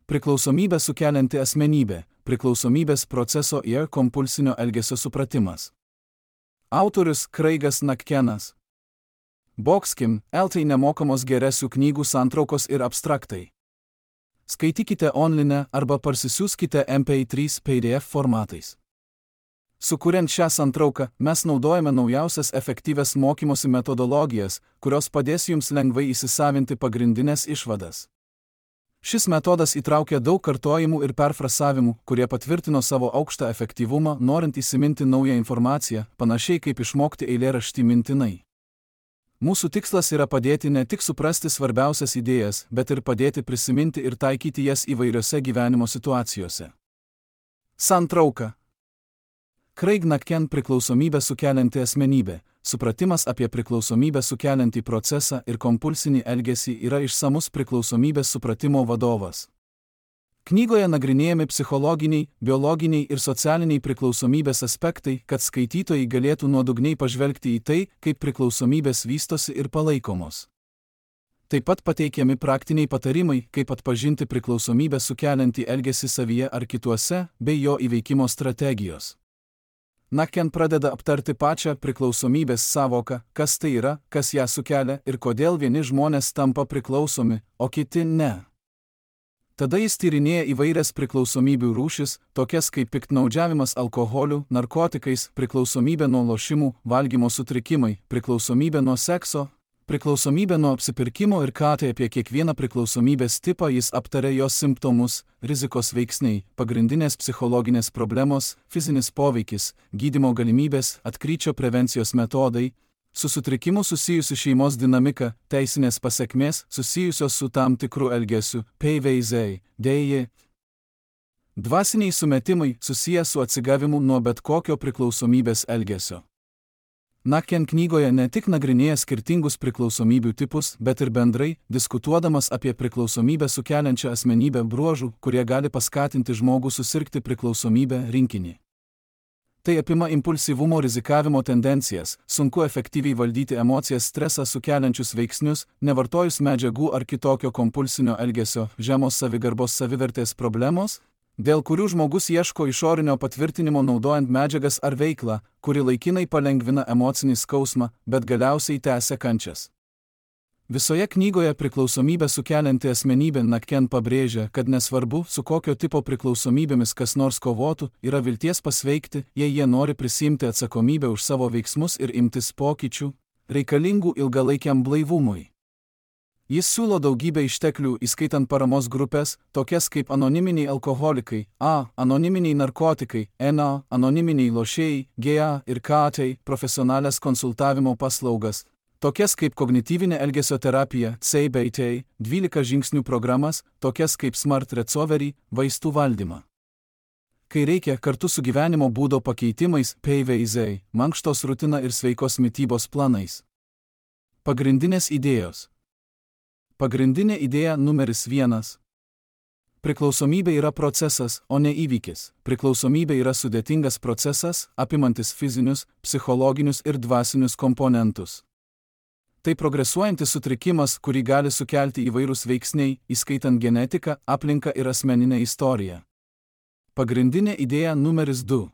Priklausomybę sukelianti asmenybė, priklausomybės proceso ir kompulsinio elgesio supratimas. Autorius Craigas McKennas. Boxkim, LT nemokamos geresių knygų santraukos ir abstraktai. Skaitykite online arba parsisiųskite MP3 PDF formatais. Sukuriant šią santrauką, mes naudojame naujausias efektyvias mokymosi metodologijas, kurios padės jums lengvai įsisavinti pagrindinės išvadas. Šis metodas įtraukia daug kartojimų ir perfrasavimų, kurie patvirtino savo aukštą efektyvumą, norint įsiminti naują informaciją, panašiai kaip išmokti eilėraštį mintinai. Mūsų tikslas yra padėti ne tik suprasti svarbiausias idėjas, bet ir padėti prisiminti ir taikyti jas įvairiose gyvenimo situacijose. Santrauka. Craig McKenna priklausomybę sukelianti asmenybė. Supratimas apie priklausomybę sukeliantį procesą ir kompulsinį elgesį yra išsamus priklausomybės supratimo vadovas. Knygoje nagrinėjami psichologiniai, biologiniai ir socialiniai priklausomybės aspektai, kad skaitytojai galėtų nuodugniai pažvelgti į tai, kaip priklausomybės vystosi ir palaikomos. Taip pat pateikiami praktiniai patarimai, kaip atpažinti priklausomybę sukeliantį elgesį savyje ar kituose, bei jo įveikimo strategijos. McKenna pradeda aptarti pačią priklausomybės sąvoką, kas tai yra, kas ją sukelia ir kodėl vieni žmonės tampa priklausomi, o kiti ne. Tada jis tyrinėja įvairias priklausomybių rūšis, tokias kaip piktnaudžiavimas alkoholiu, narkotikais, priklausomybė nuo lošimų, valgymo sutrikimai, priklausomybė nuo sekso, priklausomybė nuo apsipirkimo ir ką tai apie kiekvieną priklausomybės tipą jis aptarė jos simptomus, rizikos veiksniai, pagrindinės psichologinės problemos, fizinis poveikis, gydymo galimybės, atkryčio prevencijos metodai, su sutrikimu susijusi šeimos dinamika, teisinės pasekmės susijusios su tam tikru elgesiu, PVZ, dėji. Dvasiniai sumetimai susiję su atsigavimu nuo bet kokio priklausomybės elgesio. McKenna knygoje ne tik nagrinėja skirtingus priklausomybių tipus, bet ir bendrai, diskutuodamas apie priklausomybę sukeliančią asmenybę bruožų, kurie gali paskatinti žmogų susirgti priklausomybę rinkinį. Tai apima impulsyvumo rizikavimo tendencijas, sunku efektyviai valdyti emocijas, stresą sukeliančius veiksnius, nevartojus medžiagų ar kitokio kompulsinio elgesio, žemos savigarbos savivertės problemos, dėl kurių žmogus ieško išorinio patvirtinimo naudojant medžiagas ar veiklą, kuri laikinai palengvina emocinį skausmą, bet galiausiai tęsia kančias. Visoje knygoje priklausomybę sukelianti asmenybė McKenna pabrėžia, kad nesvarbu, su kokio tipo priklausomybėmis kas nors kovotų, yra vilties pasveikti, jei jie nori prisiimti atsakomybę už savo veiksmus ir imtis pokyčių, reikalingų ilgalaikiam blaivumui. Jis siūlo daugybę išteklių, įskaitant paramos grupės, tokias kaip anoniminiai alkoholikai, anoniminiai narkotikai, anoniminiai lošėjai, GA ir KT, profesionalias konsultavimo paslaugas, tokias kaip kognityvinė elgesio terapija, CBT, 12 žingsnių programas, tokias kaip Smart Recovery, vaistų valdymą. Kai reikia, kartu su gyvenimo būdo pakeitimais, PVZ, mankštos rutina ir sveikos mitybos planais. Pagrindinės idėjos. Pagrindinė idėja numeris 1. Priklausomybė yra procesas, o ne įvykis. Priklausomybė yra sudėtingas procesas, apimantis fizinius, psichologinius ir dvasinius komponentus. Tai progresuojantis sutrikimas, kurį gali sukelti įvairūs veiksniai, įskaitant genetiką, aplinką ir asmeninę istoriją. Pagrindinė idėja numeris 2.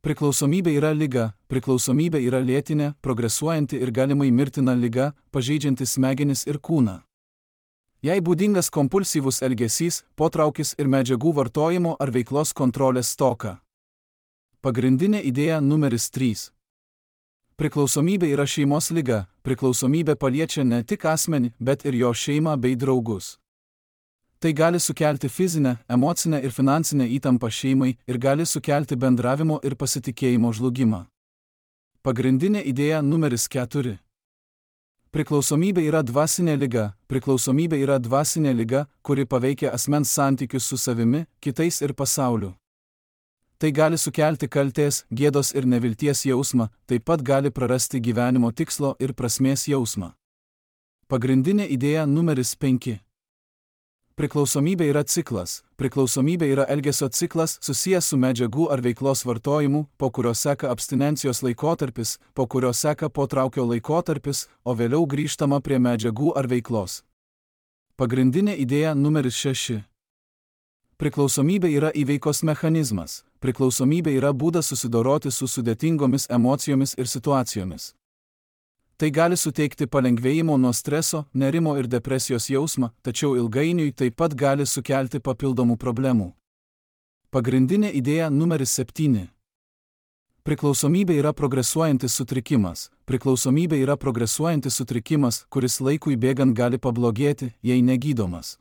Priklausomybė yra liga, priklausomybė yra lėtinė, progresuojanti ir galimai mirtina liga, pažeidžianti smegenis ir kūną. Jai būdingas kompulsyvus elgesys, potraukis ir medžiagų vartojimo ar veiklos kontrolės stoka. Pagrindinė idėja numeris 3. Priklausomybė yra šeimos liga, priklausomybė paliečia ne tik asmenį, bet ir jo šeimą bei draugus. Tai gali sukelti fizinę, emocinę ir finansinę įtampą šeimai ir gali sukelti bendravimo ir pasitikėjimo žlugimą. Pagrindinė idėja numeris 4. Priklausomybė yra dvasinė liga. Priklausomybė yra dvasinė liga, kuri paveikia asmens santykius su savimi, kitais ir pasauliu. Tai gali sukelti kaltės, gėdos ir nevilties jausmą, taip pat gali prarasti gyvenimo tikslo ir prasmės jausmą. Pagrindinė idėja numeris 5. Priklausomybė yra ciklas. Priklausomybė yra elgesio ciklas susijęs su medžiagų ar veiklos vartojimu, po kurio seka abstinencijos laikotarpis, po kurio seka potraukio laikotarpis, o vėliau grįžtama prie medžiagų ar veiklos. Pagrindinė idėja numeris 6. Priklausomybė yra įveikos mechanizmas. Priklausomybė yra būdas susidoroti su sudėtingomis emocijomis ir situacijomis. Tai gali suteikti palengvėjimo nuo streso, nerimo ir depresijos jausmą, tačiau ilgainiui taip pat gali sukelti papildomų problemų. Pagrindinė idėja numeris 7. Priklausomybė yra progresuojantis sutrikimas. Priklausomybė yra progresuojantis sutrikimas, kuris laikui bėgant gali pablogėti, jei negydomas.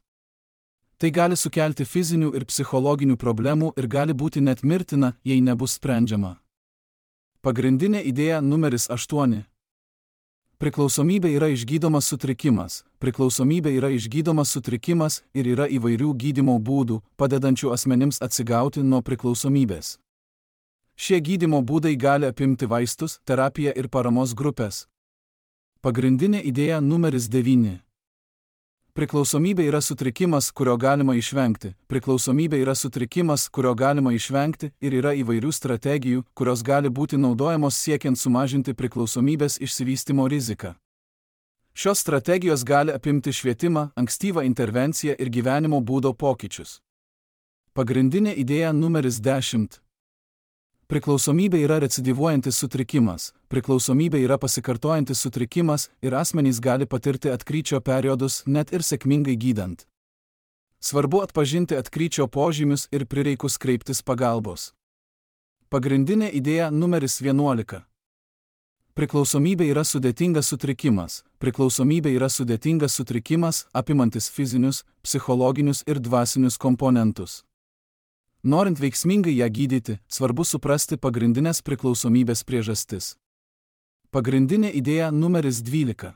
Tai gali sukelti fizinių ir psichologinių problemų ir gali būti net mirtina, jei nebus sprendžiama. Pagrindinė idėja numeris 8. Priklausomybė yra išgydomas sutrikimas. Priklausomybė yra išgydomas sutrikimas ir yra įvairių gydymo būdų, padedančių asmenims atsigauti nuo priklausomybės. Šie gydymo būdai gali apimti vaistus, terapiją ir paramos grupės. Pagrindinė idėja numeris 9. Priklausomybė yra sutrikimas, kurio galima išvengti. Priklausomybė yra sutrikimas, kurio galima išvengti ir yra įvairių strategijų, kurios gali būti naudojamos siekiant sumažinti priklausomybės išsivystymo riziką. Šios strategijos gali apimti švietimą, ankstyvą intervenciją ir gyvenimo būdo pokyčius. Pagrindinė idėja numeris 10. Priklausomybė yra recidyvuojantis sutrikimas. Priklausomybė yra pasikartojantis sutrikimas ir asmenys gali patirti atkryčio periodus net ir sėkmingai gydant. Svarbu atpažinti atkryčio požymius ir prireikus kreiptis pagalbos. Pagrindinė idėja numeris 11. Priklausomybė yra sudėtingas sutrikimas. Priklausomybė yra sudėtingas sutrikimas, apimantis fizinius, psichologinius ir dvasinius komponentus. Norint veiksmingai ją gydyti, svarbu suprasti pagrindinės priklausomybės priežastis. Pagrindinė idėja numeris 12.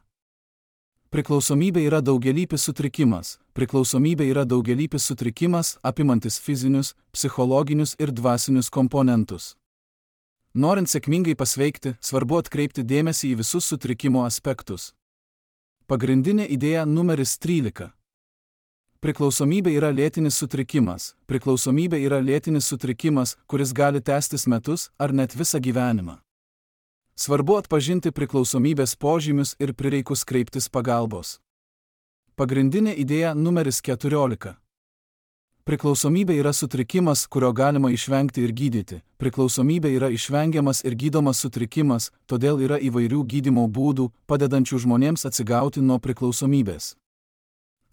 Priklausomybė yra daugialypis sutrikimas. Priklausomybė yra daugialypis sutrikimas, apimantis fizinius, psichologinius ir dvasinius komponentus. Norint sėkmingai pasveikti, svarbu atkreipti dėmesį į visus sutrikimo aspektus. Pagrindinė idėja numeris 13. Priklausomybė yra lėtinis sutrikimas. Priklausomybė yra lėtinis sutrikimas, kuris gali tęstis metus ar net visą gyvenimą. Svarbu atpažinti priklausomybės požymius ir prireikus kreiptis pagalbos. Pagrindinė idėja numeris 14. Priklausomybė yra sutrikimas, kurio galima išvengti ir gydyti. Priklausomybė yra išvengiamas ir gydomas sutrikimas, todėl yra įvairių gydymo būdų, padedančių žmonėms atsigauti nuo priklausomybės.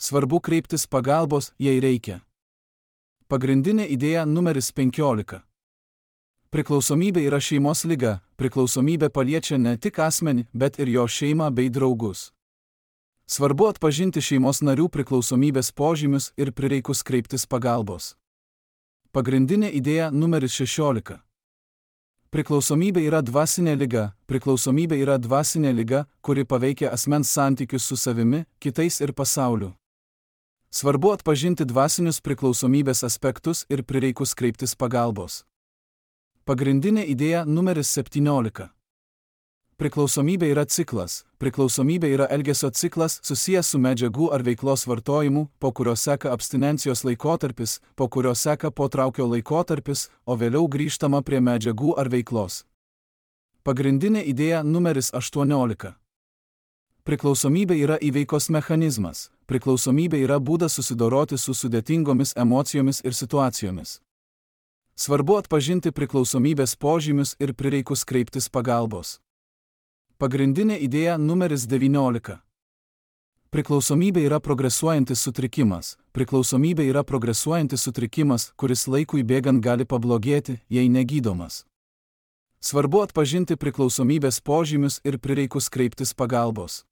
Svarbu kreiptis pagalbos, jei reikia. Pagrindinė idėja numeris 15. Priklausomybė yra šeimos liga. Priklausomybė paliečia ne tik asmenį, bet ir jo šeimą bei draugus. Svarbu atpažinti šeimos narių priklausomybės požymius ir prireikus kreiptis pagalbos. Pagrindinė idėja numeris 16. Priklausomybė yra dvasinė liga. Priklausomybė yra dvasinė liga, kuri paveikia asmens santykius su savimi, kitais ir pasauliu. Svarbu atpažinti dvasinius priklausomybės aspektus ir prireikus kreiptis pagalbos. Pagrindinė idėja numeris 17. Priklausomybė yra ciklas. Priklausomybė yra elgesio ciklas susijęs su medžiagų ar veiklos vartojimu, po kurio seka abstinencijos laikotarpis, po kurio seka potraukio laikotarpis, o vėliau grįžtama prie medžiagų ar veiklos. Pagrindinė idėja numeris 18. Priklausomybė yra įveikos mechanizmas. Priklausomybė yra būdas susidoroti su sudėtingomis emocijomis ir situacijomis. Svarbu atpažinti priklausomybės požymius ir prireikus kreiptis pagalbos. Pagrindinė idėja numeris 19. Priklausomybė yra progresuojantis sutrikimas. Priklausomybė yra progresuojantis sutrikimas, kuris laikui bėgant gali pablogėti, jei negydomas. Svarbu atpažinti priklausomybės požymius ir prireikus kreiptis pagalbos.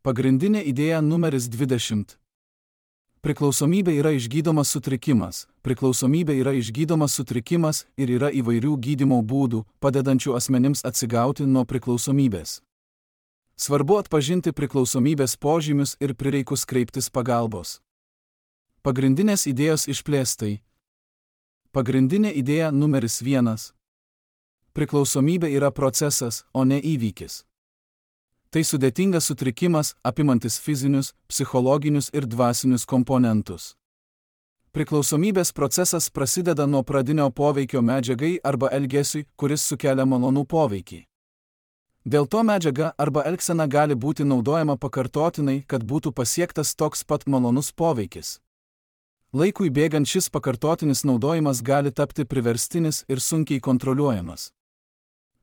Pagrindinė idėja numeris 20. Priklausomybė yra išgydomas sutrikimas. Priklausomybė yra išgydomas sutrikimas ir yra įvairių gydymo būdų, padedančių asmenims atsigauti nuo priklausomybės. Svarbu atpažinti priklausomybės požymius ir prireikus kreiptis pagalbos. Pagrindinės idėjos išplėstai. Pagrindinė idėja numeris 1. Priklausomybė yra procesas, o ne įvykis. Tai sudėtingas sutrikimas, apimantis fizinius, psichologinius ir dvasinius komponentus. Priklausomybės procesas prasideda nuo pradinio poveikio medžiagai arba elgesiui, kuris sukelia malonų poveikį. Dėl to medžiaga arba elgsena gali būti naudojama pakartotinai, kad būtų pasiektas toks pat malonus poveikis. Laikui bėgant šis pakartotinis naudojimas gali tapti priverstinis ir sunkiai kontroliuojamas.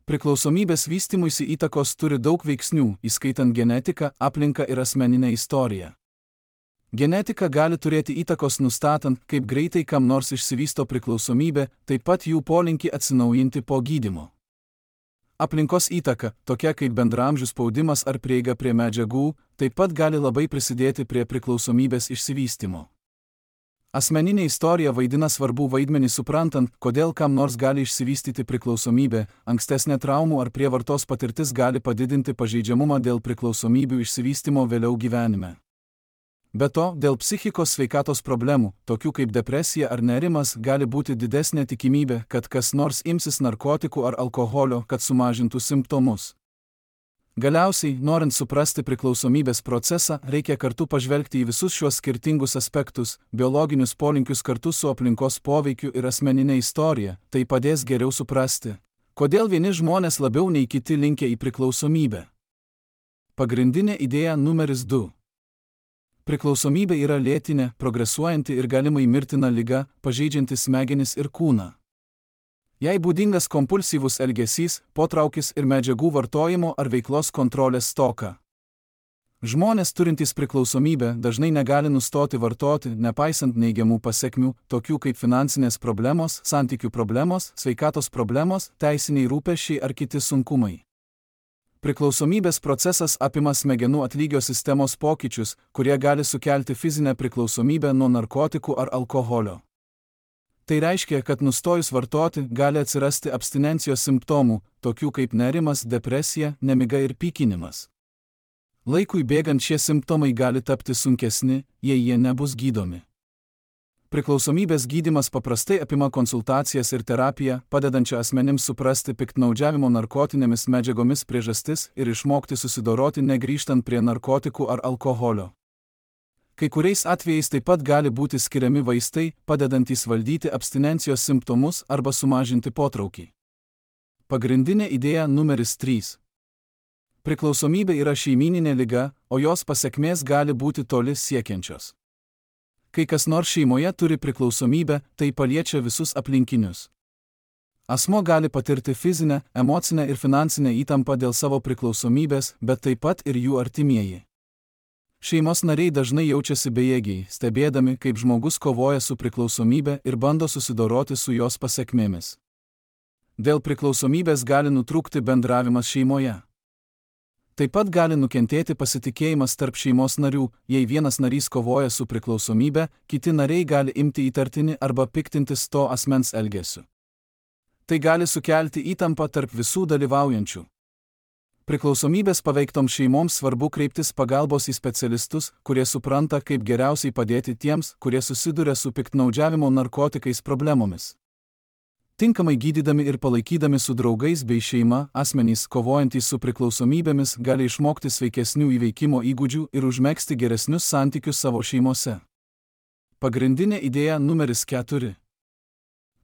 Priklausomybės vystymuisi įtakos turi daug veiksnių, įskaitant genetiką, aplinką ir asmeninę istoriją. Genetika gali turėti įtakos nustatant, kaip greitai kam nors išsivysto priklausomybė, taip pat jų polinkį atsinaujinti po gydymo. Aplinkos įtaka, tokia kaip bendraamžių spaudimas ar prieiga prie medžiagų, taip pat gali labai prisidėti prie priklausomybės išsivystymo. Asmeninė istorija vaidina svarbų vaidmenį suprantant, kodėl kam nors gali išsivystyti priklausomybė, ankstesnė traumų ar prievartos patirtis gali padidinti pažeidžiamumą dėl priklausomybių išsivystymo vėliau gyvenime. Be to, dėl psichikos sveikatos problemų, tokių kaip depresija ar nerimas, gali būti didesnė tikimybė, kad kas nors imsis narkotikų ar alkoholio, kad sumažintų simptomus. Galiausiai, norint suprasti priklausomybės procesą, reikia kartu pažvelgti į visus šiuos skirtingus aspektus, biologinius polinkius kartu su aplinkos poveikiu ir asmeninė istorija, tai padės geriau suprasti, kodėl vieni žmonės labiau nei kiti linkę į priklausomybę. Pagrindinė idėja numeris 2. Priklausomybė yra lėtinė, progresuojanti ir galimai mirtina liga, pažeidžianti smegenis ir kūną. Jai būdingas kompulsyvus elgesys, potraukis ir medžiagų vartojimo ar veiklos kontrolės stoka. Žmonės turintys priklausomybę dažnai negali nustoti vartoti, nepaisant neigiamų pasekmių, tokių kaip finansinės problemos, santykių problemos, sveikatos problemos, teisiniai rūpesčiai ar kiti sunkumai. Priklausomybės procesas apima smegenų atlygio sistemos pokyčius, kurie gali sukelti fizinę priklausomybę nuo narkotikų ar alkoholio. Tai reiškia, kad nustojus vartoti gali atsirasti abstinencijos simptomų, tokių kaip nerimas, depresija, nemiga ir pykinimas. Laikui bėgant šie simptomai gali tapti sunkesni, jei jie nebus gydomi. Priklausomybės gydymas paprastai apima konsultacijas ir terapiją, padedančią asmenims suprasti piktnaudžiavimo narkotinėmis medžiagomis priežastis ir išmokti susidoroti negrįžtant prie narkotikų ar alkoholio. Kai kuriais atvejais taip pat gali būti skiriami vaistai, padedantys valdyti abstinencijos simptomus arba sumažinti potraukį. Pagrindinė idėja numeris 3. Priklausomybė yra šeimyninė liga, o jos pasekmės gali būti toli siekiančios. Kai kas nors šeimoje turi priklausomybę, tai paliečia visus aplinkinius. Asmuo gali patirti fizinę, emocinę ir finansinę įtampą dėl savo priklausomybės, bet taip pat ir jų artimieji. Šeimos nariai dažnai jaučiasi bejėgiai, stebėdami, kaip žmogus kovoja su priklausomybė ir bando susidoroti su jos pasekmėmis. Dėl priklausomybės gali nutrūkti bendravimas šeimoje. Taip pat gali nukentėti pasitikėjimas tarp šeimos narių, jei vienas narys kovoja su priklausomybė, kiti nariai gali imti įtartini arba piktintis to asmens elgesiu. Tai gali sukelti įtampą tarp visų dalyvaujančių. Priklausomybės paveiktoms šeimoms svarbu kreiptis pagalbos į specialistus, kurie supranta, kaip geriausiai padėti tiems, kurie susiduria su piktnaudžiavimo narkotikais problemomis. Tinkamai gydydami ir palaikydami su draugais bei šeima, asmenys kovojantys su priklausomybėmis gali išmokti sveikesnių įveikimo įgūdžių ir užmegzti geresnius santykius savo šeimose. Pagrindinė idėja numeris 4.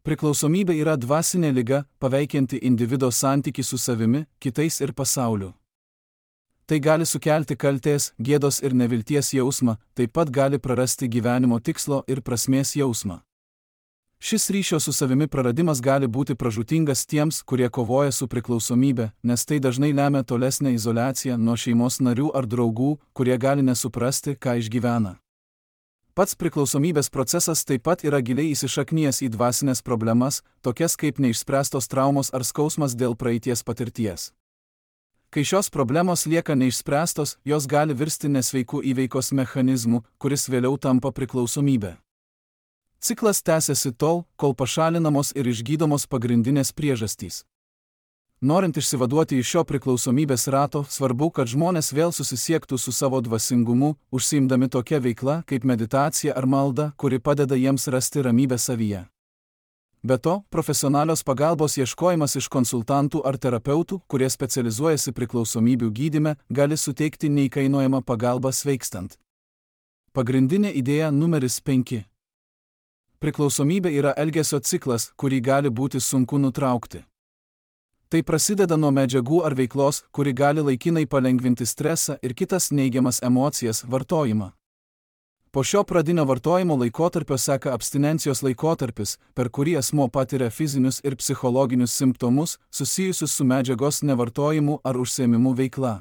Priklausomybė yra dvasinė liga, paveikianti individo santykį su savimi, kitais ir pasauliu. Tai gali sukelti kaltės, gėdos ir nevilties jausmą, taip pat gali prarasti gyvenimo tikslo ir prasmės jausmą. Šis ryšio su savimi praradimas gali būti pražūtingas tiems, kurie kovoja su priklausomybė, nes tai dažnai lemia tolesnę izoliaciją nuo šeimos narių ar draugų, kurie gali nesuprasti, ką išgyvena. Pats priklausomybės procesas taip pat yra giliai įsišaknijęs į dvasinės problemas, tokias kaip neišspręstos traumos ar skausmas dėl praeities patirties. Kai šios problemos lieka neišspręstos, jos gali virsti nesveikų įveikos mechanizmu, kuris vėliau tampa priklausomybė. Ciklas tęsiasi tol, kol pašalinamos ir išgydomos pagrindinės priežastys. Norint išsivaduoti iš šio priklausomybės rato, svarbu, kad žmonės vėl susisiektų su savo dvasingumu, užsiimdami tokia veikla kaip meditacija ar malda, kuri padeda jiems rasti ramybę savyje. Be to, profesionalios pagalbos ieškojimas iš konsultantų ar terapeutų, kurie specializuojasi priklausomybių gydyme, gali suteikti neįkainojamą pagalbą sveikstant. Pagrindinė idėja numeris 5. Priklausomybė yra elgesio ciklas, kurį gali būti sunku nutraukti. Tai prasideda nuo medžiagų ar veiklos, kuri gali laikinai palengvinti stresą ir kitas neigiamas emocijas vartojimą. Po šio pradinio vartojimo laikotarpio seka abstinencijos laikotarpis, per kurį asmuo patiria fizinius ir psichologinius simptomus susijusius su medžiagos nevartojimu ar užsiėmimu veikla.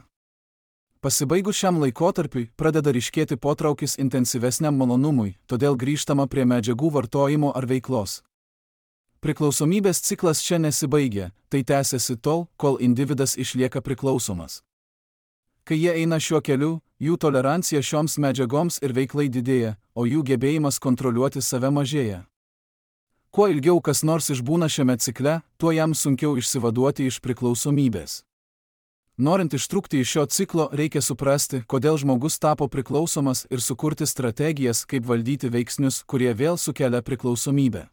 Pasibaigus šiam laikotarpiui pradeda ryškėti potraukis intensyvesniam malonumui, todėl grįžtama prie medžiagų vartojimo ar veiklos. Priklausomybės ciklas čia nesibaigia, tai tęsiasi tol, kol individas išlieka priklausomas. Kai jie eina šiuo keliu, jų tolerancija šioms medžiagoms ir veiklai didėja, o jų gebėjimas kontroliuoti save mažėja. Kuo ilgiau kas nors išbūna šiame cikle, tuo jam sunkiau išsivaduoti iš priklausomybės. Norint ištrūkti iš šio ciklo, reikia suprasti, kodėl žmogus tapo priklausomas ir sukurti strategijas, kaip valdyti veiksnius, kurie vėl sukelia priklausomybę.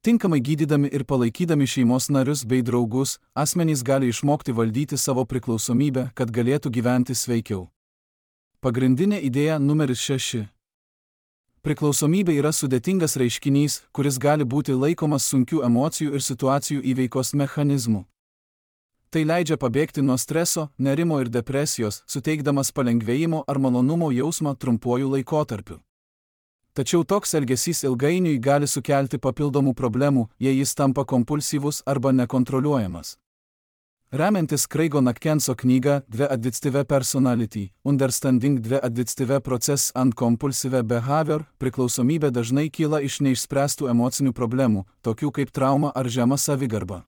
Tinkamai gydydami ir palaikydami šeimos narius bei draugus, asmenys gali išmokti valdyti savo priklausomybę, kad galėtų gyventi sveikiau. Pagrindinė idėja numeris 6. Priklausomybė yra sudėtingas reiškinys, kuris gali būti laikomas sunkių emocijų ir situacijų įveikos mechanizmu. Tai leidžia pabėgti nuo streso, nerimo ir depresijos, suteikdamas palengvėjimo ar malonumo jausmą trumpuoju laikotarpiu. Tačiau toks elgesys ilgainiui gali sukelti papildomų problemų, jei jis tampa kompulsyvus arba nekontroliuojamas. Remiantis Craigo Knackenso knyga The Addictive Personality, Understanding the Addictive Process and Compulsive Behavior, priklausomybė dažnai kyla iš neišspręstų emocinių problemų, tokių kaip trauma ar žema savigarba.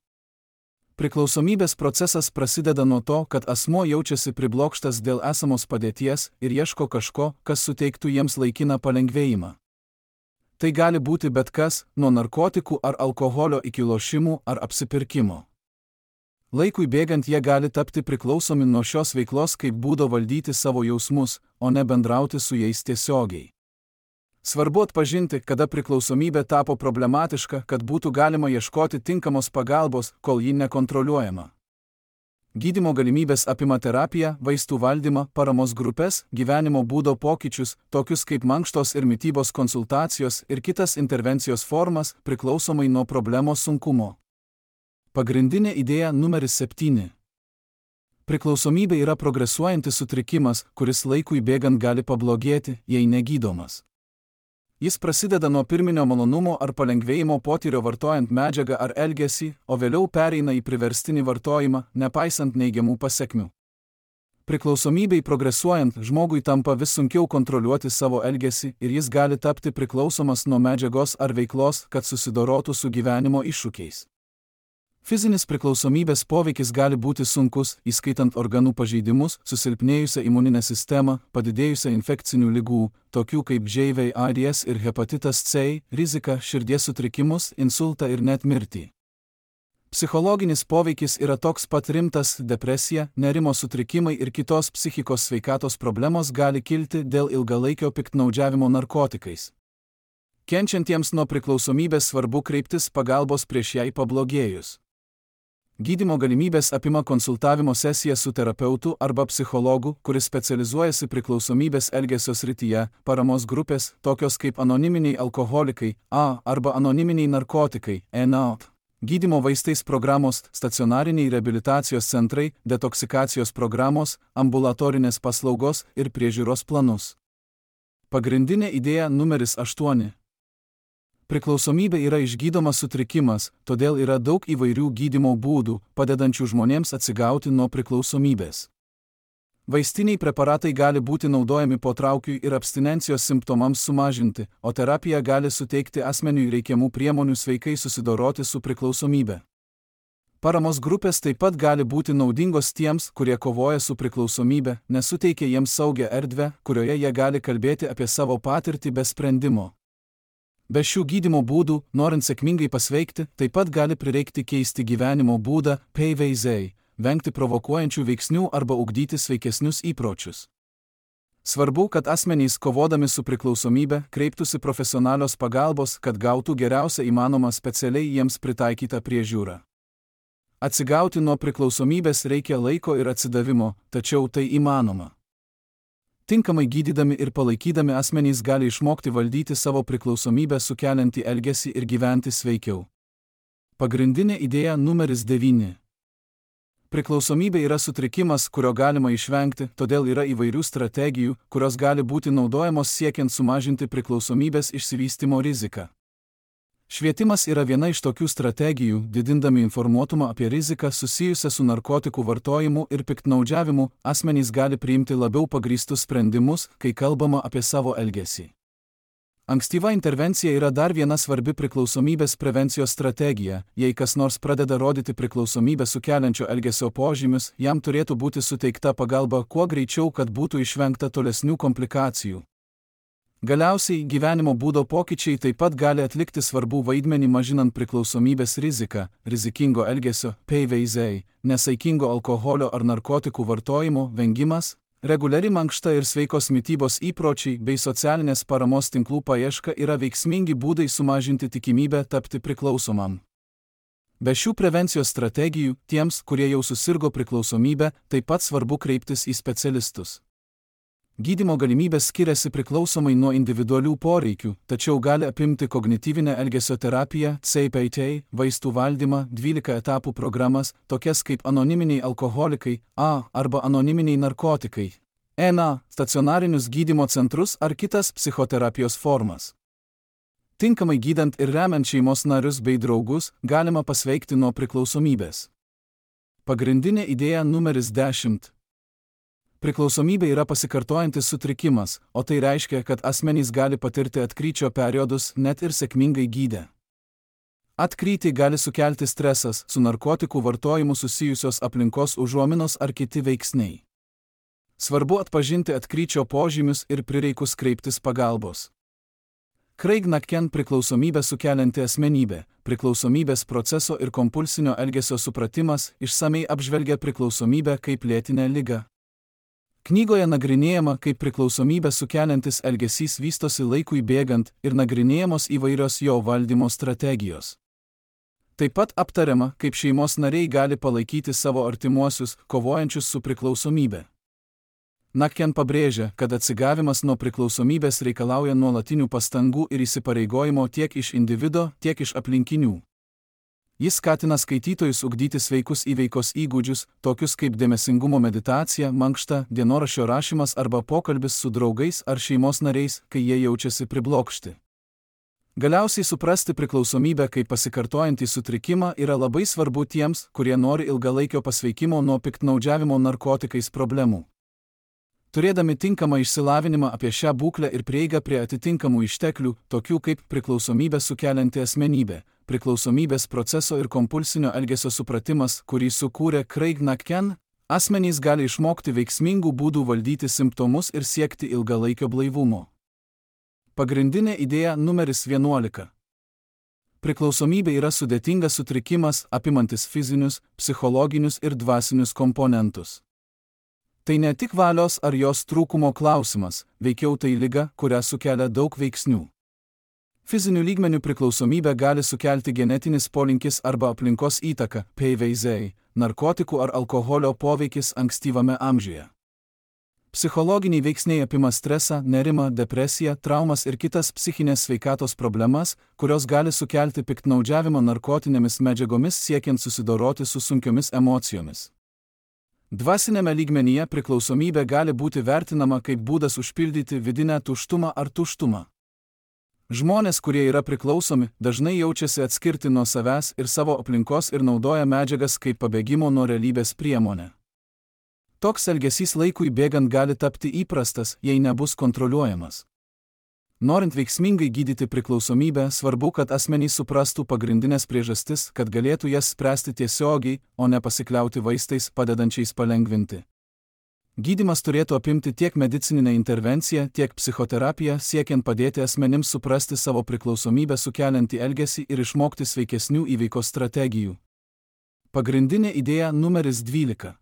Priklausomybės procesas prasideda nuo to, kad asmuo jaučiasi priblokštas dėl esamos padėties ir ieško kažko, kas suteiktų jiems laikiną palengvėjimą. Tai gali būti bet kas, nuo narkotikų ar alkoholio iki lošimų ar apsipirkimo. Laikui bėgant jie gali tapti priklausomi nuo šios veiklos kaip būdo valdyti savo jausmus, o ne bendrauti su jais tiesiogiai. Svarbu atpažinti, kada priklausomybė tapo problematiška, kad būtų galima ieškoti tinkamos pagalbos, kol ji nekontroliuojama. Gydymo galimybės apima terapiją, vaistų valdymą, paramos grupės, gyvenimo būdo pokyčius, tokius kaip mankštos ir mitybos konsultacijos ir kitas intervencijos formas, priklausomai nuo problemos sunkumo. Pagrindinė idėja numeris 7. Priklausomybė yra progresuojantis sutrikimas, kuris laikui bėgant gali pablogėti, jei negydomas. Jis prasideda nuo pirminio malonumo ar palengvėjimo potyrio vartojant medžiagą ar elgesį, o vėliau pereina į priverstinį vartojimą, nepaisant neigiamų pasekmių. Priklausomybei progresuojant, žmogui tampa vis sunkiau kontroliuoti savo elgesį ir jis gali tapti priklausomas nuo medžiagos ar veiklos, kad susidorotų su gyvenimo iššūkiais. Fizinis priklausomybės poveikis gali būti sunkus, įskaitant organų pažeidimus, susilpnėjusią imuninę sistemą, padidėjusią infekcinių ligų, tokių kaip živ, AIDS ir hepatitas C, riziką, širdies sutrikimus, insultą ir net mirtį. Psichologinis poveikis yra toks pat rimtas, depresija, nerimo sutrikimai ir kitos psichikos sveikatos problemos gali kilti dėl ilgalaikio piktnaudžiavimo narkotikais. Kenčiantiems nuo priklausomybės svarbu kreiptis pagalbos prieš jai pablogėjus. Gydymo galimybės apima konsultavimo sesiją su terapeutu arba psichologu, kuris specializuojasi priklausomybės elgesio srityje, paramos grupės, tokios kaip anoniminiai alkoholikai, arba anoniminiai narkotikai, NA. Gydymo vaistais programos, stacionariniai reabilitacijos centrai, detoksikacijos programos, ambulatorinės paslaugos ir priežiūros planus. Pagrindinė idėja numeris 8. Priklausomybė yra išgydomas sutrikimas, todėl yra daug įvairių gydymo būdų, padedančių žmonėms atsigauti nuo priklausomybės. Vaistiniai preparatai gali būti naudojami potraukiui ir abstinencijos simptomams sumažinti, o terapija gali suteikti asmeniui reikiamų priemonių sveikai susidoroti su priklausomybe. Paramos grupės taip pat gali būti naudingos tiems, kurie kovoja su priklausomybe, nes suteikia jiems saugią erdvę, kurioje jie gali kalbėti apie savo patirtį be sprendimo. Be šių gydymo būdų, norint sėkmingai pasveikti, taip pat gali prireikti keisti gyvenimo būdą, vengti provokuojančių veiksnių arba ugdyti sveikesnius įpročius. Svarbu, kad asmenys kovodami su priklausomybe kreiptųsi profesionalios pagalbos, kad gautų geriausią įmanomą specialiai jiems pritaikytą priežiūrą. Atsigauti nuo priklausomybės reikia laiko ir atsidavimo, tačiau tai įmanoma. Tinkamai gydydami ir palaikydami asmenys gali išmokti valdyti savo priklausomybę sukeliantį elgesį ir gyventi sveikiau. Pagrindinė idėja numeris 9. Priklausomybė yra sutrikimas, kurio galima išvengti, todėl yra įvairių strategijų, kurios gali būti naudojamos siekiant sumažinti priklausomybės išsivystymo riziką. Švietimas yra viena iš tokių strategijų, didindami informuotumą apie riziką susijusią su narkotikų vartojimu ir piktnaudžiavimu, asmenys gali priimti labiau pagrįstus sprendimus, kai kalbama apie savo elgesį. Ankstyva intervencija yra dar viena svarbi priklausomybės prevencijos strategija. Jei kas nors pradeda rodyti priklausomybę sukeliančio elgesio požymius, jam turėtų būti suteikta pagalba kuo greičiau, kad būtų išvengta tolesnių komplikacijų. Galiausiai, gyvenimo būdo pokyčiai taip pat gali atlikti svarbų vaidmenį mažinant priklausomybės riziką, rizikingo elgesio, pavyzdžiai, nesaikingo alkoholio ar narkotikų vartojimo vengimas, reguliari mankšta ir sveikos mitybos įpročiai bei socialinės paramos tinklų paieška yra veiksmingi būdai sumažinti tikimybę tapti priklausomam. Be šių prevencijos strategijų, tiems, kurie jau susirgo priklausomybę, taip pat svarbu kreiptis į specialistus. Gydymo galimybės skiriasi priklausomai nuo individualių poreikių, tačiau gali apimti kognityvinę elgesio terapiją, CPT, vaistų valdymą, 12 etapų programas, tokias kaip anoniminiai alkoholikai, arba anoniminiai narkotikai, stacionarinius gydymo centrus ar kitas psichoterapijos formas. Tinkamai gydant ir remiant šeimos narius bei draugus, galima pasveikti nuo priklausomybės. Pagrindinė idėja numeris 10. Priklausomybė yra pasikartojantis sutrikimas, o tai reiškia, kad asmenys gali patirti atkryčio periodus net ir sėkmingai gydę. Atkrytį gali sukelti stresas, su narkotikų vartojimu susijusios aplinkos užuominos ar kiti veiksniai. Svarbu atpažinti atkryčio požymius ir prireikus kreiptis pagalbos. Craig McCann priklausomybę sukelianti asmenybė, priklausomybės proceso ir kompulsinio elgesio supratimas išsamei apžvelgia priklausomybę kaip lėtinę ligą. Knygoje nagrinėjama, kaip priklausomybę sukeliantis elgesys vystosi laikui bėgant ir nagrinėjamos įvairios jo valdymo strategijos. Taip pat aptariama, kaip šeimos nariai gali palaikyti savo artimuosius, kovojančius su priklausomybė. McCann pabrėžia, kad atsigavimas nuo priklausomybės reikalauja nuolatinių pastangų ir įsipareigojimo tiek iš individo, tiek iš aplinkinių. Jis skatina skaitytojus ugdyti sveikus įveikos įgūdžius, tokius kaip dėmesingumo meditacija, mankšta, dienoraščio rašymas arba pokalbis su draugais ar šeimos nariais, kai jie jaučiasi priblokšti. Galiausiai suprasti priklausomybę kaip pasikartojantį sutrikimą yra labai svarbu tiems, kurie nori ilgalaikio pasveikimo nuo piktnaudžiavimo narkotikais problemų. Turėdami tinkamą išsilavinimą apie šią būklę ir prieigą prie atitinkamų išteklių, tokių kaip priklausomybę sukelianti asmenybė, priklausomybės proceso ir kompulsinio elgesio supratimas, kurį sukūrė Craig McCann, asmenys gali išmokti veiksmingų būdų valdyti simptomus ir siekti ilgalaikio blaivumo. Pagrindinė idėja numeris 11. Priklausomybė yra sudėtingas sutrikimas, apimantis fizinius, psichologinius ir dvasinius komponentus. Tai ne tik valios ar jos trūkumo klausimas, veikiau tai liga, kurią sukelia daug veiksnių. Fizinių lygmenių priklausomybę gali sukelti genetinis polinkis arba aplinkos įtaka, pavyzdžiai, narkotikų ar alkoholio poveikis ankstyvame amžiuje. Psichologiniai veiksniai apima stresą, nerimą, depresiją, traumas ir kitas psichinės sveikatos problemas, kurios gali sukelti piktnaudžiavimą narkotinėmis medžiagomis siekiant susidoroti su sunkiomis emocijomis. Dvasinėme lygmenyje priklausomybė gali būti vertinama kaip būdas užpildyti vidinę tuštumą ar tuštumą. Žmonės, kurie yra priklausomi, dažnai jaučiasi atskirti nuo savęs ir savo aplinkos ir naudoja medžiagas kaip pabėgimo nuo realybės priemonę. Toks elgesys laikui bėgant gali tapti įprastas, jei nebus kontroliuojamas. Norint veiksmingai gydyti priklausomybę, svarbu, kad asmenys suprastų pagrindinės priežastis, kad galėtų jas spręsti tiesiogiai, o ne pasikliauti vaistais padedančiais palengvinti. Gydymas turėtų apimti tiek medicininę intervenciją, tiek psichoterapiją, siekiant padėti asmenims suprasti savo priklausomybę sukeliantį elgesį ir išmokti sveikesnių įveikos strategijų. Pagrindinė idėja numeris 12.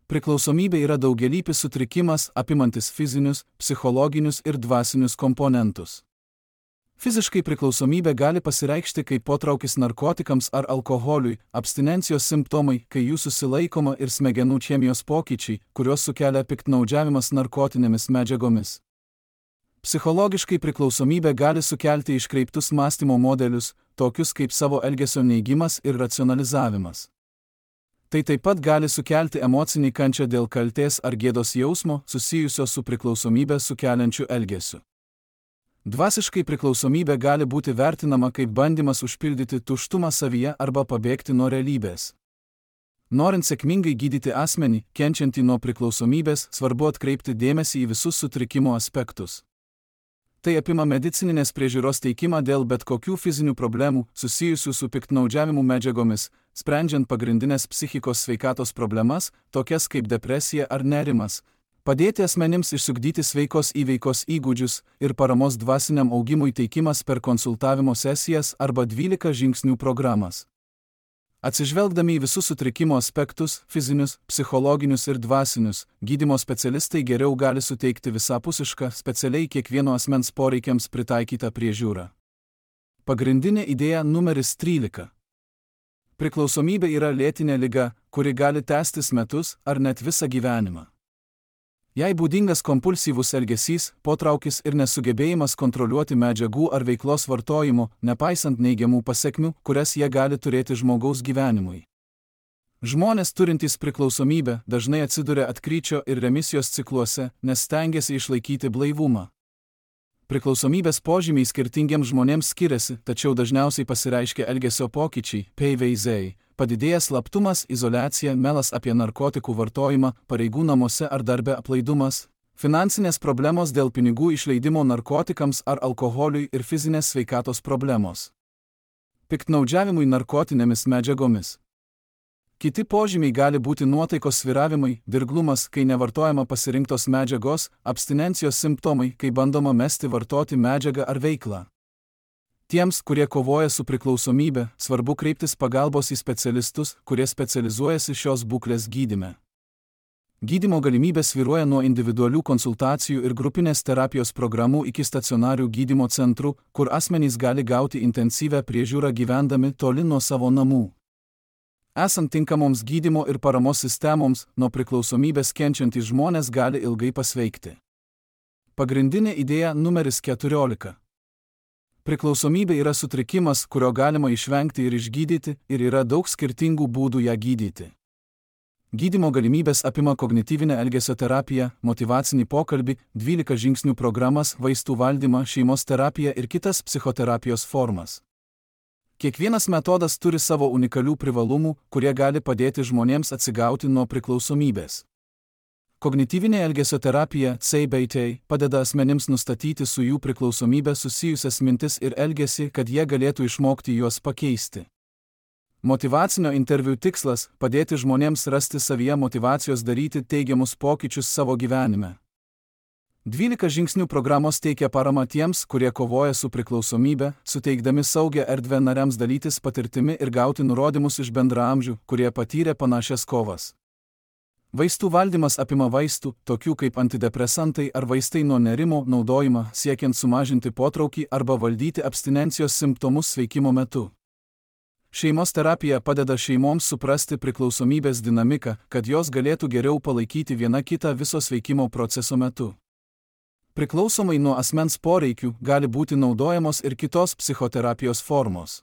Priklausomybė yra daugialypis sutrikimas, apimantis fizinius, psichologinius ir dvasinius komponentus. Fiziškai priklausomybė gali pasireikšti kaip potraukis narkotikams ar alkoholiui, abstinencijos simptomai, kai jų susilaikoma ir smegenų chemijos pokyčiai, kuriuos sukelia piktnaudžiavimas narkotinėmis medžiagomis. Psichologiškai priklausomybė gali sukelti iškreiptus mąstymo modelius, tokius kaip savo elgesio neigimas ir racionalizavimas. Tai taip pat gali sukelti emocinį kančią dėl kaltės ar gėdos jausmo susijusio su priklausomybę sukeliančiu elgesiu. Dvasiškai priklausomybė gali būti vertinama kaip bandymas užpildyti tuštumą savyje arba pabėgti nuo realybės. Norint sėkmingai gydyti asmenį, kenčiantį nuo priklausomybės, svarbu atkreipti dėmesį į visus sutrikimo aspektus. Tai apima medicininės priežiūros teikimą dėl bet kokių fizinių problemų susijusių su piktnaudžiavimu medžiagomis, sprendžiant pagrindinės psichikos sveikatos problemas, tokias kaip depresija ar nerimas, padėti asmenims išsiugdyti sveikos įveikos įgūdžius ir paramos dvasiniam augimui teikimas per konsultavimo sesijas arba 12 žingsnių programas. Atsižvelgdami į visus sutrikimo aspektus, fizinius, psichologinius ir dvasinius, gydymo specialistai geriau gali suteikti visapusišką, specialiai kiekvieno asmens poreikiams pritaikytą priežiūrą. Pagrindinė idėja numeris 13. Priklausomybė yra lėtinė liga, kuri gali tęstis metus ar net visą gyvenimą. Jei būdingas kompulsyvus elgesys, potraukis ir nesugebėjimas kontroliuoti medžiagų ar veiklos vartojimo, nepaisant neigiamų pasekmių, kurias jie gali turėti žmogaus gyvenimui. Žmonės turintys priklausomybę dažnai atsiduria atkryčio ir remisijos cikluose, nes stengiasi išlaikyti blaivumą. Priklausomybės požymiai skirtingiems žmonėms skiriasi, tačiau dažniausiai pasireiškia elgesio pokyčiai, PVZ, padidėjęs slaptumas, izoliacija, melas apie narkotikų vartojimą, pareigų namuose ar darbe aplaidumas, finansinės problemos dėl pinigų išleidimo narkotikams ar alkoholiui ir fizinės sveikatos problemos. Piktnaudžiavimui narkotinėmis medžiagomis. Kiti požymiai gali būti nuotaikos svyravimai, dirglumas, kai nevartojama pasirinktos medžiagos, abstinencijos simptomai, kai bandoma mesti vartoti medžiagą ar veiklą. Tiems, kurie kovoja su priklausomybe, svarbu kreiptis pagalbos į specialistus, kurie specializuojasi šios būklės gydyme. Gydymo galimybės svyruoja nuo individualių konsultacijų ir grupinės terapijos programų iki stacionarių gydymo centrų, kur asmenys gali gauti intensyvią priežiūrą gyvendami toli nuo savo namų. Esant tinkamoms gydymo ir paramos sistemoms, nuo priklausomybės kenčiantys žmonės gali ilgai pasveikti. Pagrindinė idėja numeris 14. Priklausomybė yra sutrikimas, kurio galima išvengti ir išgydyti, ir yra daug skirtingų būdų ją gydyti. Gydymo galimybės apima kognityvinę elgesio terapiją, motyvacinį pokalbį, 12 žingsnių programas, vaistų valdymą, šeimos terapiją ir kitas psichoterapijos formas. Kiekvienas metodas turi savo unikalių privalumų, kurie gali padėti žmonėms atsigauti nuo priklausomybės. Kognityvinė elgesio terapija, CBT, padeda asmenims nustatyti su jų priklausomybė susijusias mintis ir elgesį, kad jie galėtų išmokti juos pakeisti. Motyvacinio interviu tikslas – padėti žmonėms rasti savyje motyvacijos daryti teigiamus pokyčius savo gyvenime. 12 žingsnių programos teikia paramą tiems, kurie kovoja su priklausomybe, suteikdami saugią erdvę nariams dalytis patirtimi ir gauti nurodymus iš bendraamžių, kurie patyrė panašias kovas. Vaistų valdymas apima vaistų, tokių kaip antidepresantai ar vaistai nuo nerimo naudojimą, siekiant sumažinti potraukį arba valdyti abstinencijos simptomus sveikimo metu. Šeimos terapija padeda šeimoms suprasti priklausomybės dinamiką, kad jos galėtų geriau palaikyti viena kitą viso sveikimo proceso metu. Priklausomai nuo asmens poreikių gali būti naudojamos ir kitos psichoterapijos formos.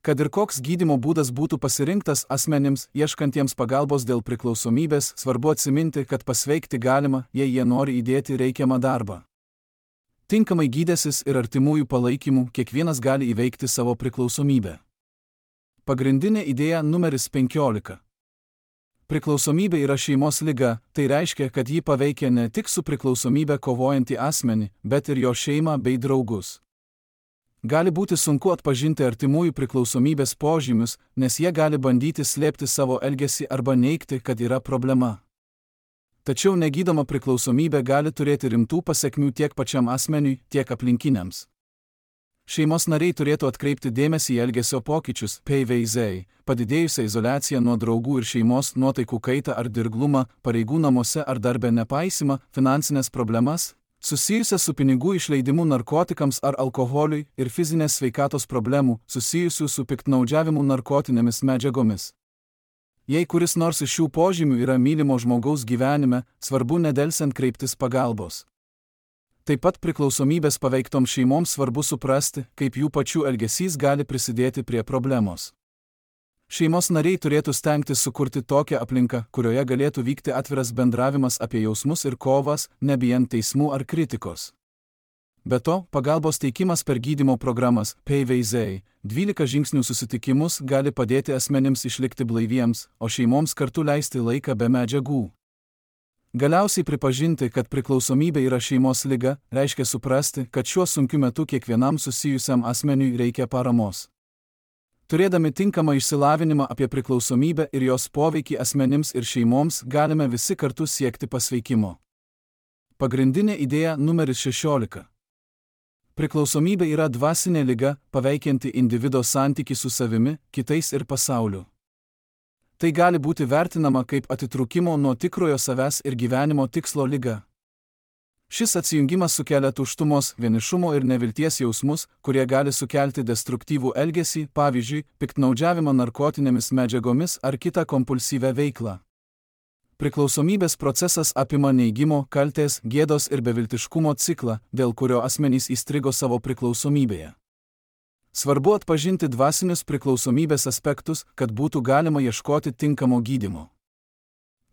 Kad ir koks gydymo būdas būtų pasirinktas asmenims, ieškantiems pagalbos dėl priklausomybės, svarbu atsiminti, kad pasveikti galima, jei jie nori įdėti reikiamą darbą. Tinkamai gydęsis ir artimųjų palaikymų, kiekvienas gali įveikti savo priklausomybę. Pagrindinė idėja numeris 15. Priklausomybė yra šeimos liga, tai reiškia, kad ji paveikia ne tik su priklausomybė kovojantį asmenį, bet ir jo šeimą bei draugus. Gali būti sunku atpažinti artimųjų priklausomybės požymius, nes jie gali bandyti slėpti savo elgesį arba neigti, kad yra problema. Tačiau negydoma priklausomybė gali turėti rimtų pasekmių tiek pačiam asmeniui, tiek aplinkiniams. Šeimos nariai turėtų atkreipti dėmesį į elgesio pokyčius, PVZ, padidėjusią izoliaciją nuo draugų ir šeimos, nuotaikų kaitą ar dirglumą, pareigų namuose ar darbe nepaisimą, finansinės problemas, susijusias su pinigų išleidimu narkotikams ar alkoholiui ir fizinės sveikatos problemų, susijusių su piktnaudžiavimu narkotinėmis medžiagomis. Jei kuris nors iš šių požymių yra mylimo žmogaus gyvenime, svarbu nedelsiant kreiptis pagalbos. Taip pat priklausomybės paveiktoms šeimoms svarbu suprasti, kaip jų pačių elgesys gali prisidėti prie problemos. Šeimos nariai turėtų stengtis sukurti tokią aplinką, kurioje galėtų vykti atviras bendravimas apie jausmus ir kovas, nebijant teismų ar kritikos. Be to, pagalbos teikimas per gydymo programas PVZ 12 žingsnių susitikimus gali padėti asmenims išlikti blaiviems, o šeimoms kartu leisti laiką be medžiagų. Galiausiai pripažinti, kad priklausomybė yra šeimos liga, reiškia suprasti, kad šiuo sunkiu metu kiekvienam susijusiam asmeniui reikia paramos. Turėdami tinkamą išsilavinimą apie priklausomybę ir jos poveikį asmenims ir šeimoms, galime visi kartu siekti pasveikimo. Pagrindinė idėja numeris 16. Priklausomybė yra dvasinė liga, paveikianti individo santykį su savimi, kitais ir pasauliu. Tai gali būti vertinama kaip atitrūkimo nuo tikrojo savęs ir gyvenimo tikslo liga. Šis atsijungimas sukelia tuštumos, vienišumo ir nevilties jausmus, kurie gali sukelti destruktyvų elgesį, pavyzdžiui, piktnaudžiavimą narkotinėmis medžiagomis ar kitą kompulsyvią veiklą. Priklausomybės procesas apima neigimo, kaltės, gėdos ir beviltiškumo ciklą, dėl kurio asmenys įstrigo savo priklausomybėje. Svarbu atpažinti dvasinius priklausomybės aspektus, kad būtų galima ieškoti tinkamo gydymo.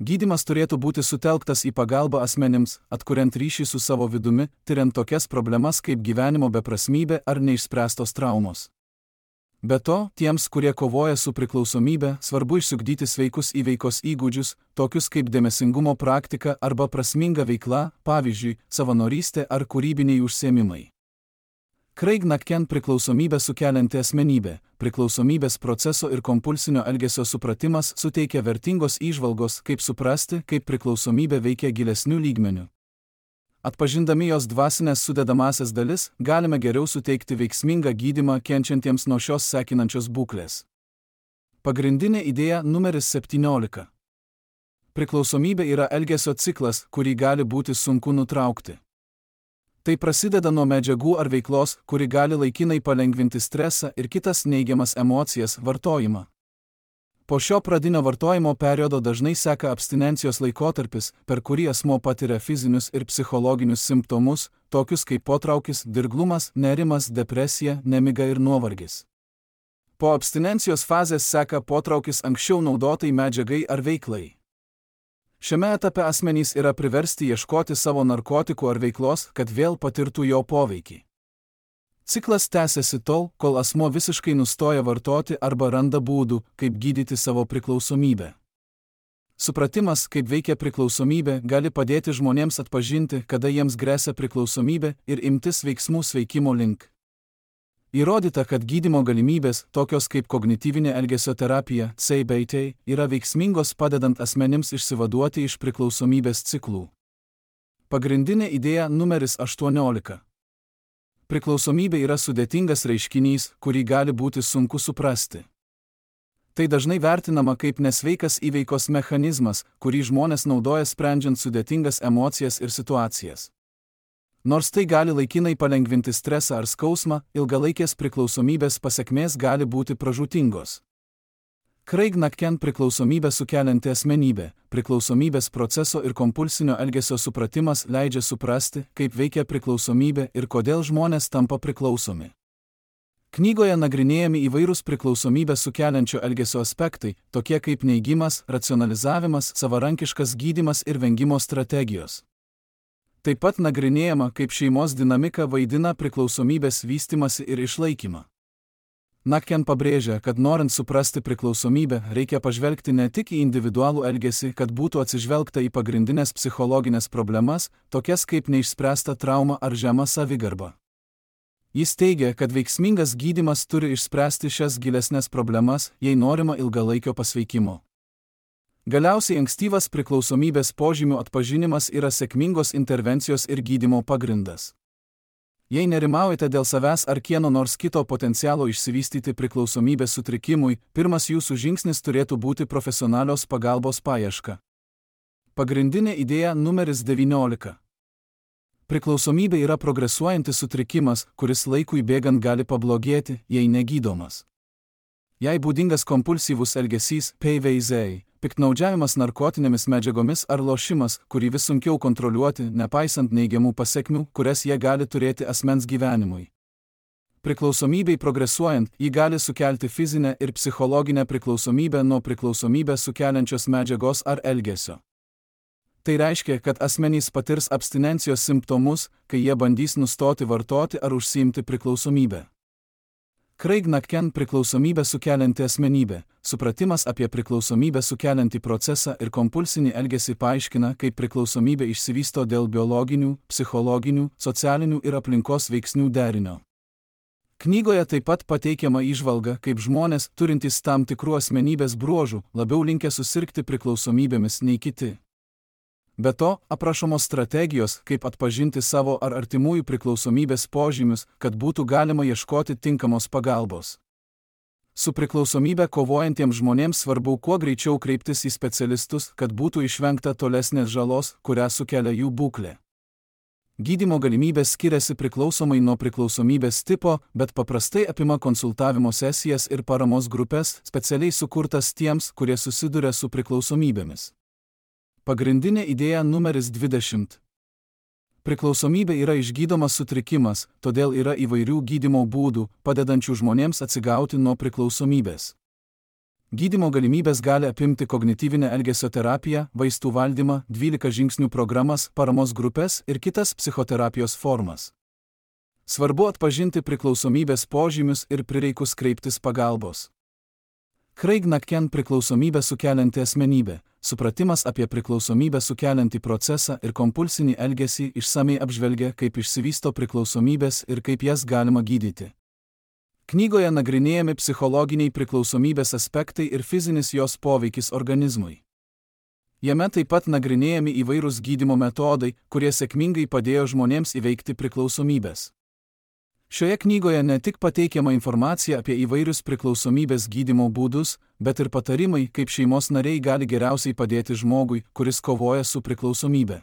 Gydymas turėtų būti sutelktas į pagalbą asmenims, atkuriant ryšį su savo vidumi, tyriant tokias problemas kaip gyvenimo beprasmybė ar neišspręstos traumos. Be to, tiems, kurie kovoja su priklausomybė, svarbu išsiugdyti sveikus įveikos įgūdžius, tokius kaip dėmesingumo praktika arba prasminga veikla, pavyzdžiui, savanorystė ar kūrybiniai užsiėmimai. Craig McCann priklausomybę sukelianti asmenybė, priklausomybės proceso ir kompulsinio elgesio supratimas suteikia vertingos įžvalgos, kaip suprasti, kaip priklausomybė veikia gilesnių lygmenių. Atpažindami jos dvasinės sudedamąsias dalis, galime geriau suteikti veiksmingą gydymą kenčiantiems nuo šios sekinančios būklės. Pagrindinė idėja numeris 17. Priklausomybė yra elgesio ciklas, kurį gali būti sunku nutraukti. Tai prasideda nuo medžiagų ar veiklos, kuri gali laikinai palengvinti stresą ir kitas neigiamas emocijas vartojimą. Po šio pradinio vartojimo periodo dažnai seka abstinencijos laikotarpis, per kurį asmuo patiria fizinius ir psichologinius simptomus, tokius kaip potraukis, dirglumas, nerimas, depresija, nemiga ir nuovargis. Po abstinencijos fazės seka potraukis anksčiau naudotai medžiagai ar veiklai. Šiame etape asmenys yra priversti ieškoti savo narkotikų ar veiklos, kad vėl patirtų jo poveikį. Ciklas tęsiasi tol, kol asmuo visiškai nustoja vartoti arba randa būdų, kaip gydyti savo priklausomybę. Supratimas, kaip veikia priklausomybė, gali padėti žmonėms atpažinti, kada jiems gresia priklausomybė ir imtis veiksmų sveikimo link. Įrodyta, kad gydymo galimybės, tokios kaip kognityvinė elgesio terapija, CBT, yra veiksmingos padedant asmenims išsivaduoti iš priklausomybės ciklų. Pagrindinė idėja numeris 18. Priklausomybė yra sudėtingas reiškinys, kurį gali būti sunku suprasti. Tai dažnai vertinama kaip nesveikas įveikos mechanizmas, kurį žmonės naudoja sprendžiant sudėtingas emocijas ir situacijas. Nors tai gali laikinai palengvinti stresą ar skausmą, ilgalaikės priklausomybės pasekmės gali būti pražūtingos. Craig McCann priklausomybę sukelianti asmenybė, priklausomybės proceso ir kompulsinio elgesio supratimas leidžia suprasti, kaip veikia priklausomybė ir kodėl žmonės tampa priklausomi. Knygoje nagrinėjami įvairūs priklausomybę sukeliančio elgesio aspektai, tokie kaip neigimas, racionalizavimas, savarankiškas gydymas ir vengimo strategijos. Taip pat nagrinėjama, kaip šeimos dinamika vaidina priklausomybės vystymasi ir išlaikymą. McCann pabrėžia, kad norint suprasti priklausomybę, reikia pažvelgti ne tik į individualų elgesį, kad būtų atsižvelgta į pagrindinės psichologinės problemas, tokias kaip neišspręsta trauma ar žema savigarba. Jis teigia, kad veiksmingas gydymas turi išspręsti šias gilesnės problemas, jei norima ilgalaikio pasveikimo. Galiausiai ankstyvas priklausomybės požymių atpažinimas yra sėkmingos intervencijos ir gydymo pagrindas. Jei nerimaujate dėl savęs ar kieno nors kito potencialo išsivystyti priklausomybės sutrikimui, pirmas jūsų žingsnis turėtų būti profesionalios pagalbos paieška. Pagrindinė idėja numeris 19. Priklausomybė yra progresuojantis sutrikimas, kuris laikui bėgant gali pablogėti, jei negydomas. Jei būdingas kompulsyvus elgesys, PVZ, piktnaudžiavimas narkotinėmis medžiagomis ar lošimas, kurį vis sunkiau kontroliuoti, nepaisant neigiamų pasekmių, kurias jie gali turėti asmens gyvenimui. Priklausomybei progresuojant, ji gali sukelti fizinę ir psichologinę priklausomybę nuo priklausomybę sukeliančios medžiagos ar elgesio. Tai reiškia, kad asmenys patirs abstinencijos simptomus, kai jie bandys nustoti vartoti ar užsiimti priklausomybę. Craig McCann priklausomybę sukelianti asmenybė. Supratimas apie priklausomybę sukeliantį procesą ir kompulsinį elgesį paaiškina, kaip priklausomybė išsivysto dėl biologinių, psichologinių, socialinių ir aplinkos veiksnių derinio. Knygoje taip pat pateikiama įžvalga, kaip žmonės, turintys tam tikrų asmenybės bruožų, labiau linkę susirgti priklausomybėmis nei kiti. Be to, aprašomos strategijos, kaip atpažinti savo ar artimųjų priklausomybės požymius, kad būtų galima ieškoti tinkamos pagalbos. Su priklausomybė kovojantiems žmonėms svarbu kuo greičiau kreiptis į specialistus, kad būtų išvengta tolesnės žalos, kurią sukelia jų būklė. Gydymo galimybės skiriasi priklausomai nuo priklausomybės tipo, bet paprastai apima konsultavimo sesijas ir paramos grupės, specialiai sukurtas tiems, kurie susiduria su priklausomybėmis. Pagrindinė idėja numeris 20. Priklausomybė yra išgydomas sutrikimas, todėl yra įvairių gydymo būdų, padedančių žmonėms atsigauti nuo priklausomybės. Gydymo galimybės gali apimti kognityvinę elgesio terapiją, vaistų valdymą, 12 žingsnių programas, paramos grupės ir kitas psichoterapijos formas. Svarbu atpažinti priklausomybės požymius ir prireikus kreiptis pagalbos. Craig McCann priklausomybę sukelianti asmenybė. Supratimas apie priklausomybę sukeliantį procesą ir kompulsinį elgesį išsamiai apžvelgia, kaip išsivysto priklausomybės ir kaip jas galima gydyti. Knygoje nagrinėjami psichologiniai priklausomybės aspektai ir fizinis jos poveikis organizmui. Jame taip pat nagrinėjami įvairūs gydymo metodai, kurie sėkmingai padėjo žmonėms įveikti priklausomybės. Šioje knygoje ne tik pateikiama informacija apie įvairius priklausomybės gydymo būdus, bet ir patarimai, kaip šeimos nariai gali geriausiai padėti žmogui, kuris kovoja su priklausomybe.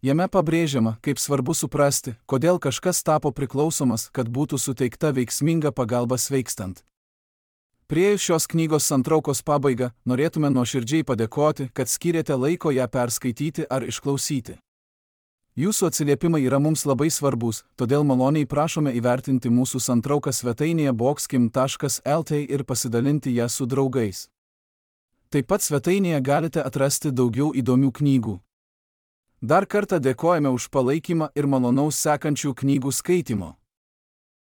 Jame pabrėžiama, kaip svarbu suprasti, kodėl kažkas tapo priklausomas, kad būtų suteikta veiksminga pagalba sveikstant. Priėjus šios knygos santraukos pabaigą, norėtume nuoširdžiai padėkoti, kad skyrėte laiko ją perskaityti ar išklausyti. Jūsų atsiliepimai yra mums labai svarbus, todėl maloniai prašome įvertinti mūsų santrauką svetainėje boxkim.lt ir pasidalinti ją su draugais. Taip pat svetainėje galite atrasti daugiau įdomių knygų. Dar kartą dėkojame už palaikymą ir malonaus sekančių knygų skaitimo.